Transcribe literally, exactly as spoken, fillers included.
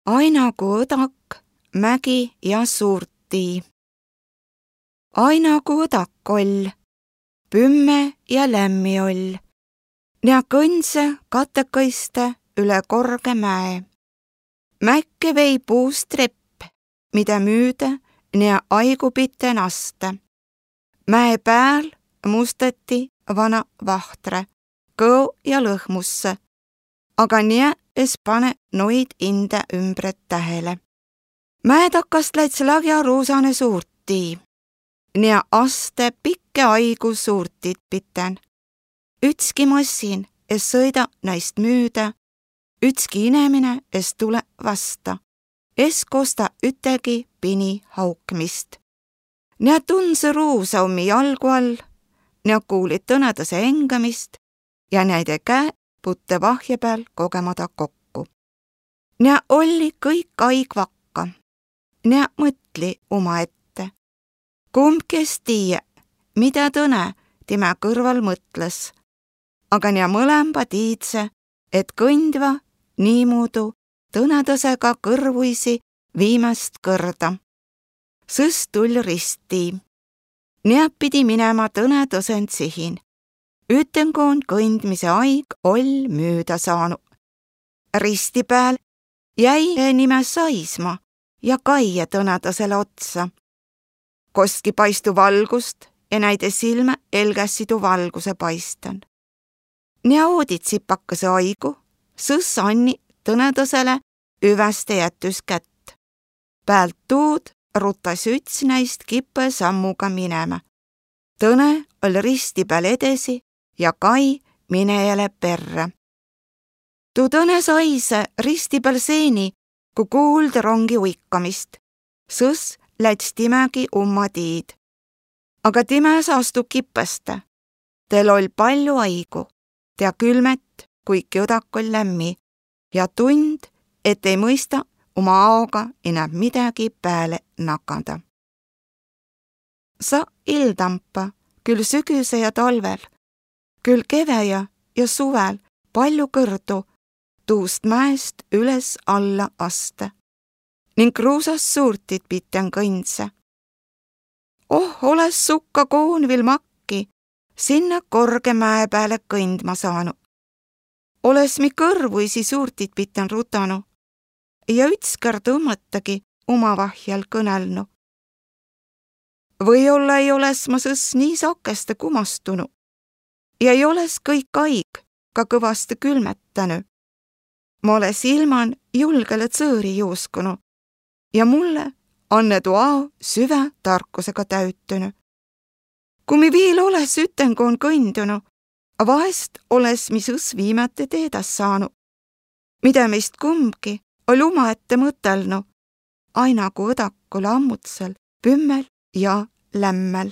Aina ku õdak, mägi ja suurtii. Aina ku õdak oll, pümme ja lämmi oll, ja kõndse katekõiste üle korge mäe. Mäkke vei puust trepp, mida müüde ja aigupite naste. Mäe pääl mustati vana vahtre, kõo ja lõhmusse, aga nii es pane noid inde ümbret tähele. Mäe takast läits lagja ruusane suurtii, nii aste pikke aigu suurtit piten. Ütski massin es sõida näist müüda, ütski inemine es tule vasta, es kosta ütegi pini haukmist. Nii tunse ruusa ummi jalgu all, nii kuulid tõnedase engamist ja näide käe putte vahje peal kogemada kokku. Nii olli kõik aig vakka, nii mõtli oma ette. Kumb kes tiie, mida tõne tema kõrval mõtles, aga nii mõlemba tiidse, et kõndva niimuudu tõnedasega kõrvuisi viimast kõrda. Sõs tull ristii. Nii pidi minema tõnedasend sihin. Ütengoon kõndmise aig oll müüda saanu. Risti pääl jäi nime saisma ja kaie tõnedasele otsa. Kostki paistu valgust ja näide silme elgässidu valguse paistan. Nii oodid sipakase aigu, sõs anni tõnedasele üväste jätys kätt. Päält tuud rutas üts näist kippe sammuga minema. Tõne oll risti peal edesi ja Kai minejale perre. Tuu tõne saise risti peal seeni, ku kuuld rongi uikamist. Sõs läts timegi umma tiid. Aga time saastu kippeste. Tel oll palju aigu, tea külmet, kuiki õdak oll lämmi ja tund, et ei mõista oma aoga enam midagi pääle nakada. Sa ildampa, küll sügise ja talvel, küll keveja ja suvel palju kõrdu tuust mäest üles alla aste ning kruusas suurtit piten kõndse. Oh, oles sukka koon vil makki, sinna korge mäe peale kõndma saanu. Oles mi kõrvuisi suurtit piten rutanu ja ütskõrd õmmõttagi omavahjal kõnelnu. Või-olla ei oles ma sõs nii sakeste kumastunu ja ei oles kõik aig ka kõvaste külmetänu. Ma oles ilman julgele tsõõri juuskunu ja mulle anne tuu ao süve tarkusega täütünu. Kui mi viil oles ütengoon kõndunu, vahest oles mi sõs viimati teedas saanu, mida meist kumbki oll uma ette mõtelnu, aina kui õdakule ammutsel, pümmel ja lämmel.